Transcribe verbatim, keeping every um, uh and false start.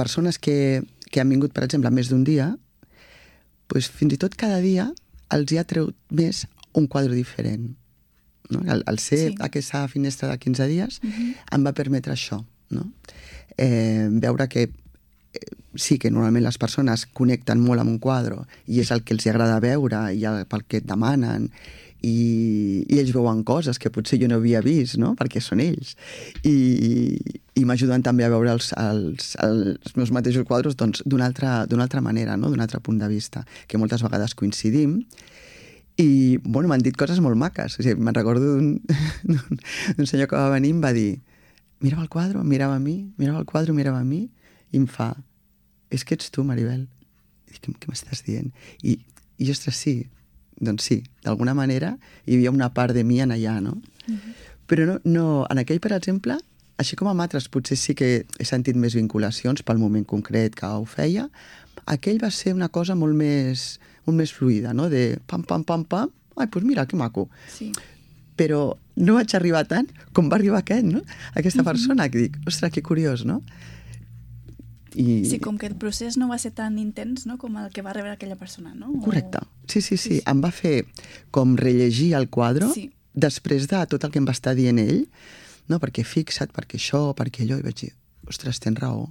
persones que, que han vingut, per exemple, més d'un dia, doncs fins i tot cada dia els hi ha tret més un quadre diferent. No? El, el ser sí. aquesta finestra de quinze dies uh-huh. em va permetre això, no? Eh, veure que eh, sí que normalment les persones connecten molt amb un quadre i és el que els agrada veure i el, pel que et demanen i, i ells veuen coses que potser jo no havia vist, no? Perquè són ells i, i m'ajuden també a veure els, els, els meus mateixos quadres doncs, d'una altra, d'una altra manera, no? D'un altre punt de vista, que moltes vegades coincidim. I, bueno, m'han dit coses molt maques. O sigui, me'n recordo d'un, d'un senyor que va venir i em va dir mirava el quadre, mirava a mi, mirava el quadre, mirava a mi, i em fa és que ets tu, Maribel. I dic, què m'estàs dient? I, i ostres, sí, doncs sí, d'alguna manera hi havia una part de mi en allà, no? Mm-hmm. Però no, no, en aquell, per exemple, així com amb altres, potser sí que he sentit més vinculacions pel moment concret que ho feia, aquell va ser una cosa molt més, molt més fluida, no? De pam, pam, pam, pam, ai, doncs mira, que maco. Sí. Però no vaig arribar tant com va arribar aquest, no? Aquesta persona, que dic, ostres, que curiós, no? I... Sí, com que el procés no va ser tan intens, no?, com el que va rebre aquella persona, no? O... Correcte. Sí, sí, sí, sí. Em va fer com rellegir el quadre sí. després de tot el que em va estar dient ell, no? Perquè fixa't, perquè això, perquè allò, i vaig dir, ostres, tens raó.